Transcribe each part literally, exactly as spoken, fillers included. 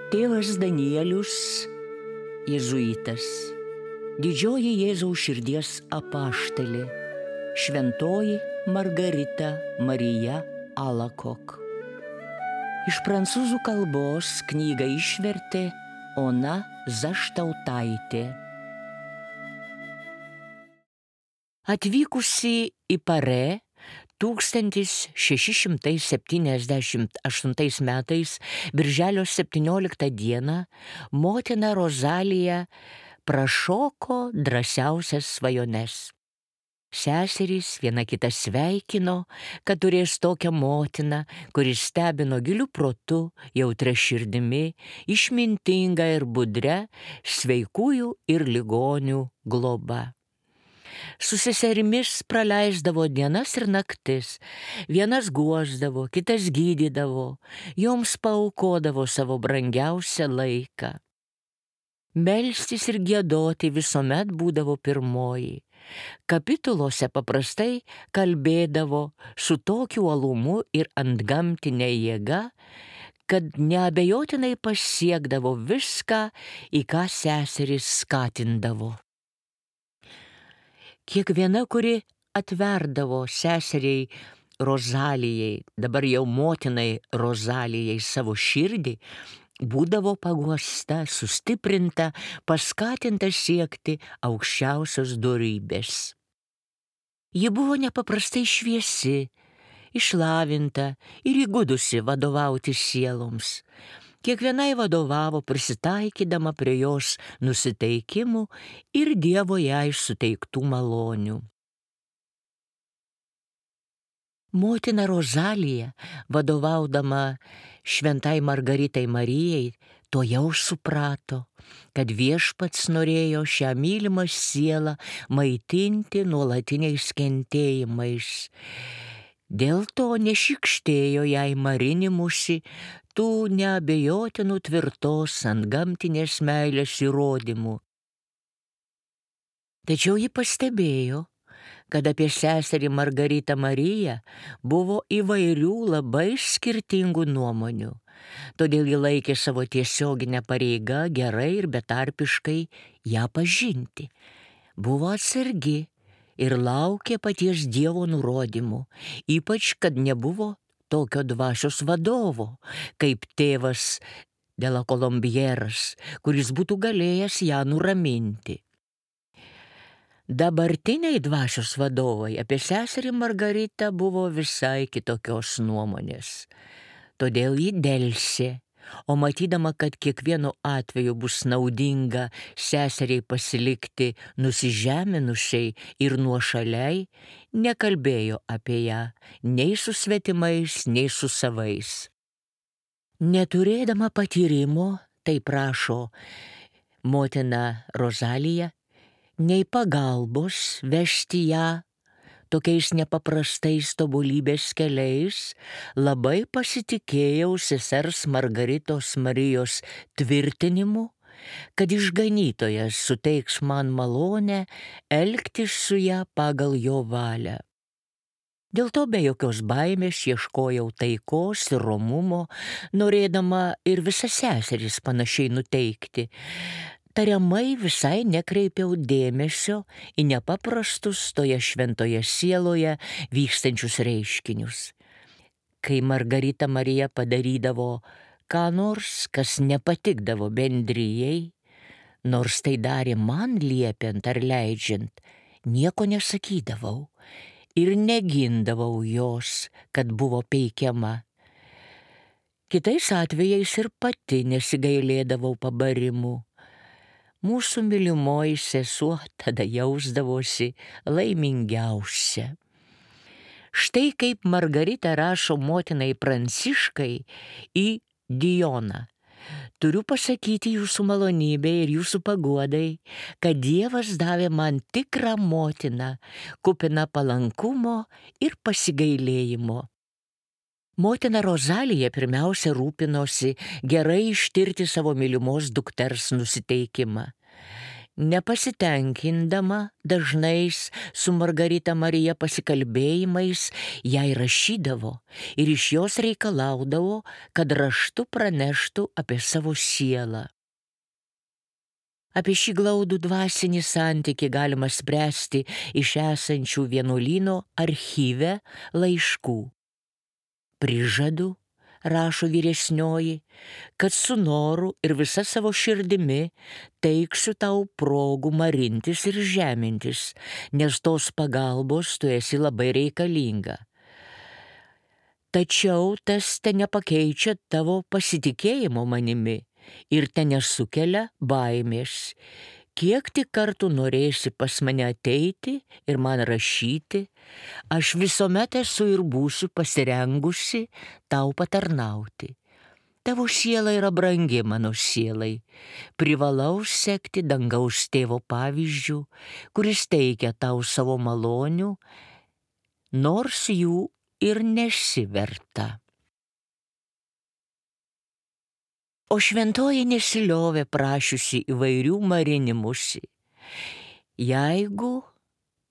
Tėvas Danielius, jėzuitas, didžioji Jėzaus širdies apaštalė, šventoji Margarita Marija Alacoque. Iš prancūzų kalbos knygą išvertė Ona Zaštautaitė. Atvykusi į Parė tūkstantis šeši šimtai septyniasdešimt aštuntais metais birželio septynioliktą dieną motina Rozalija prašoko drąsiausias svajones. Seserys viena kitą sveikino, kad turės tokią motiną, kuris stebino giliu protu, jautria širdimi, išmintinga ir budria, sveikųjų ir ligonių globa. Su seserimis praleisdavo dienas ir naktis, vienas guosdavo, kitas gydydavo, joms paaukodavo savo brangiausią laiką. Melstis ir giedoti visuomet būdavo pirmoji. Kapitulose paprastai kalbėdavo su tokiu uolumu ir antgamtinė jėga, kad neabejotinai pasiekdavo viską, į ką seseris skatindavo. Kiekviena, kuri atverdavo seseriai Rozalijai, dabar jau motinai Rozalijai, savo širdį, būdavo paguosta, sustiprinta, paskatinta siekti aukščiausios dorybės. Ji buvo nepaprastai šviesi, išlavinta ir įgudusi vadovauti sieloms. Kiekvienai vadovavo prisitaikydama prie jos nusiteikimų ir Dievo jai suteiktų malonių. Motina Rozalija, vadovaudama šventai Margaritai Marijai, to jau suprato, kad Viešpats norėjo šią mylimą sielą maitinti nuolatiniais kentėjimais. Dėl to nešykštėjo jai marinimusi tų neabejotinų tvirtos antgamtinės meilės įrodymų. Tačiau ji pastebėjo, kad apie seserį Margaritą Mariją buvo įvairių labai skirtingų nuomonių. Todėl ji laikė savo tiesioginę pareigą gerai ir betarpiškai ją pažinti. Buvo atsargi ir laukė paties Dievo nurodymų, ypač kad nebuvo tokio dvasios vadovo, kaip tėvas de la Colombieras, kuris būtų galėjęs ją nuraminti. Dabartiniai dvasios vadovai apie seserį Margaritą buvo visai kitokios nuomonės. Todėl ji delsė, o matydama, kad kiekvienu atveju bus naudinga seseriai pasilikti nusižeminusiai ir nuošaliai, nekalbėjo apie ją nei su svetimais, nei su savais. Neturėdama patyrimo, taip rašo motina Rozalija, nei pagalbos vežti ją tokiais nepaprastais tobulybės keliais, labai pasitikėjau sesers Margaritos Marijos tvirtinimu, kad išganytojas suteiks man malonę elgtis su ją pagal jo valią. Dėl to be jokios baimės ieškojau taikos ir romumo, norėdama ir visas seseris panašiai nuteikti. Tariamai visai nekreipiau dėmesio į nepaprastus toje šventoje sieloje vykstančius reiškinius. Kai Margarita Marija padarydavo ką nors, kas nepatikdavo bendrijai, nors tai darė man liepiant ar leidžiant, nieko nesakydavau ir negindavau jos, kad buvo peikiama. Kitais atvejais ir pati nesigailėdavau pabarimų. Mūsų mylimoji sesuo tada jausdavosi laimingiausia. Štai kaip Margarita rašo motinai Pranciškai į Dijoną. Turiu pasakyti jūsų malonybei ir jūsų paguodai, kad Dievas davė man tikrą motiną, kupiną palankumo ir pasigailėjimo. Motina Rozalija pirmiausia rūpinosi gerai ištirti savo mylimos dukters nusiteikimą. Nepasitenkindama dažnais su Margarita Marija pasikalbėjimais, jai rašydavo ir iš jos reikalaudavo, kad raštu praneštų apie savo sielą. Apie šį glaudų dvasinį santykį galima spręsti iš esančių vienuolyno archyve laiškų. Prižadu, rašo vyresnioji, kad su noru ir visa savo širdimi teiksiu tau progų marintis ir žemintis, nes tos pagalbos tu esi labai reikalinga. Tačiau tas te nepakeičia tavo pasitikėjimo manimi ir te nesukelia baimės. Kiek tik kartų norėsi pas mane ateiti ir man rašyti, aš visuomet esu ir būsiu pasirengusi tau patarnauti. Tavo siela yra brangi mano sielai. Privalau sekti dangaus tėvo pavyzdžių, kuris teikia tau savo malonių, nors jų ir nesi verta. O šventoji nesiliovė prašiusi įvairių marinimusi. Jeigu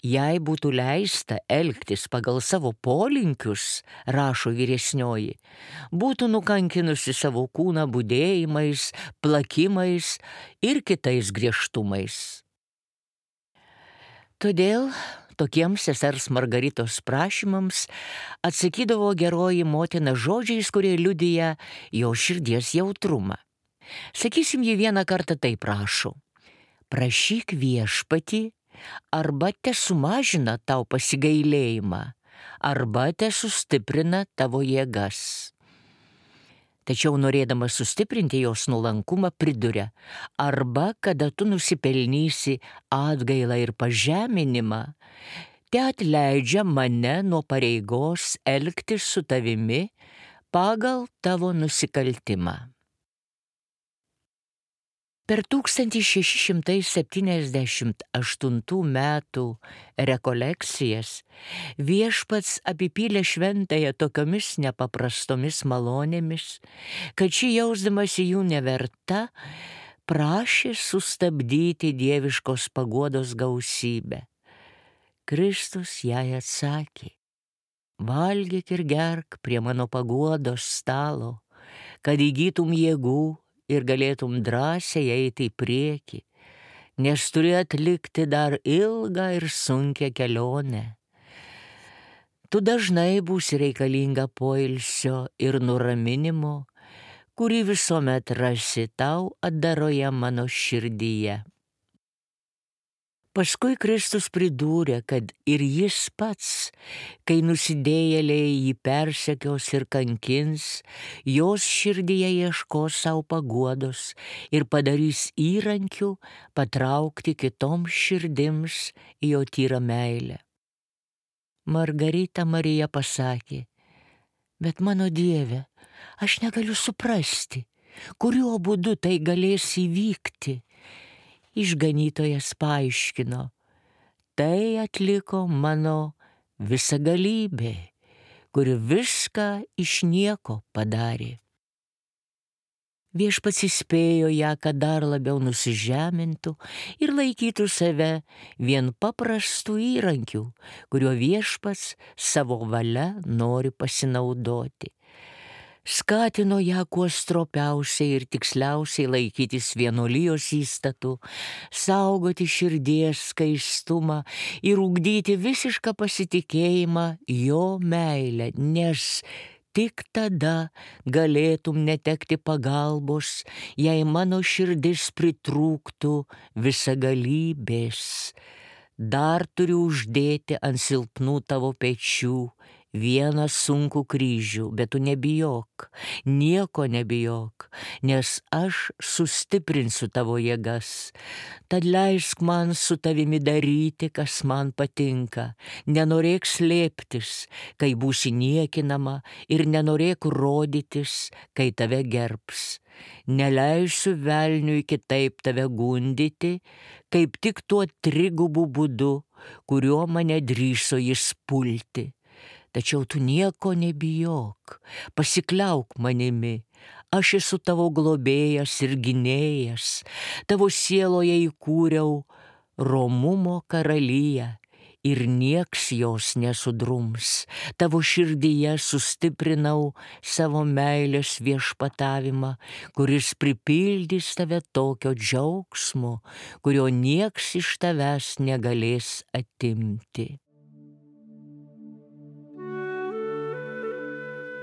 jai būtų leista elgtis pagal savo polinkius, rašo vyresnioji, būtų nukankinusi savo kūną budėjimais, plakimais ir kitais griežtumais. Todėl tokiems sesers Margaritos prašymams atsakydavo geroji motina žodžiais, kurie liudija jo širdies jautrumą. Sakysim, ji vieną kartą taip prašo: prašyk viešpatį, arba te sumažina tau pasigailėjimą, arba te sustiprina tavo jėgas. Tačiau norėdama sustiprinti jos nuolankumą priduria: arba kada tu nusipelnysi atgailą ir pažeminimą, te atleidžia mane nuo pareigos elgtis su tavimi pagal tavo nusikaltimą. Per tūkstantis šeši šimtai septyniasdešimt aštuntų metų rekolekcijas viešpats apipylė šventąją tokiomis nepaprastomis malonėmis, kad ši jausdamasi jų neverta, prašė sustabdyti dieviškos paguodos gausybę. Kristus jai atsakė: valgyk ir gerk prie mano paguodos stalo, kad įgytum jėgų ir galėtum drąsiai eiti į priekį, nes turi atlikti dar ilgą ir sunkią kelionę. Tu dažnai būsi reikalinga poilsio ir nuraminimo, kurį visuomet rasi tau atdaroje mano širdyje. Paskui Kristus pridūrė, kad ir jis pats, kai nusidėjėliai jį persekios ir kankins, jos širdyje ieškos savo paguodos ir padarys įrankių patraukti kitoms širdims į jo tyrą meilę. Margarita Marija pasakė: bet mano Dieve, aš negaliu suprasti, kuriuo būdu tai galės įvykti. Išganytojas paaiškino: tai atliko mano visagalybė, kuri viską iš nieko padarė. Viešpats įspėjo ją, kad dar labiau nusižemintų ir laikytų save vien paprastų įrankių, kuriuo viešpats savo valia nori pasinaudoti. Skatino ją kuo stropiausiai ir tiksliausiai laikytis vienuolijos įstatų, saugoti širdies skaistumą ir ugdyti visišką pasitikėjimą jo meilę, nes tik tada galėtum netekti pagalbos, jei mano širdis pritrūktų visagalybės. Dar turiu uždėti ant silpnų tavo pečių vieną sunkų kryžių, bet tu nebijok, nieko nebijok, nes aš sustiprinsiu tavo jėgas. Tad leisk man su tavimi daryti, kas man patinka. Nenorėk slėptis, kai būsi niekinama, ir nenorėk rodytis, kai tave gerbs. Neleisiu velniui kitaip tave gundyti, kaip tik tuo trigubu būdu, kuriuo mane drįso jis pulti. Tačiau tu nieko nebijok, pasikliauk manimi, aš esu tavo globėjas ir gynėjas, tavo sieloje įkūriau romumo karaliją ir nieks jos nesudrums, tavo širdyje sustiprinau savo meilės viešpatavimą, kuris pripildys tave tokio džiaugsmo, kurio nieks iš tavęs negalės atimti.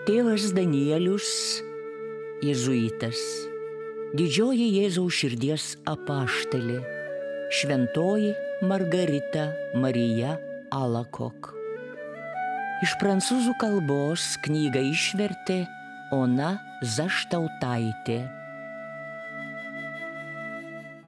Tėvas Danielius, jėzuitas, didžioji Jėzaus širdies apaštalė, šventoji Margarita Marija Alacoque. Iš prancūzų kalbos knygą išvertė Ona Zaštautaitė.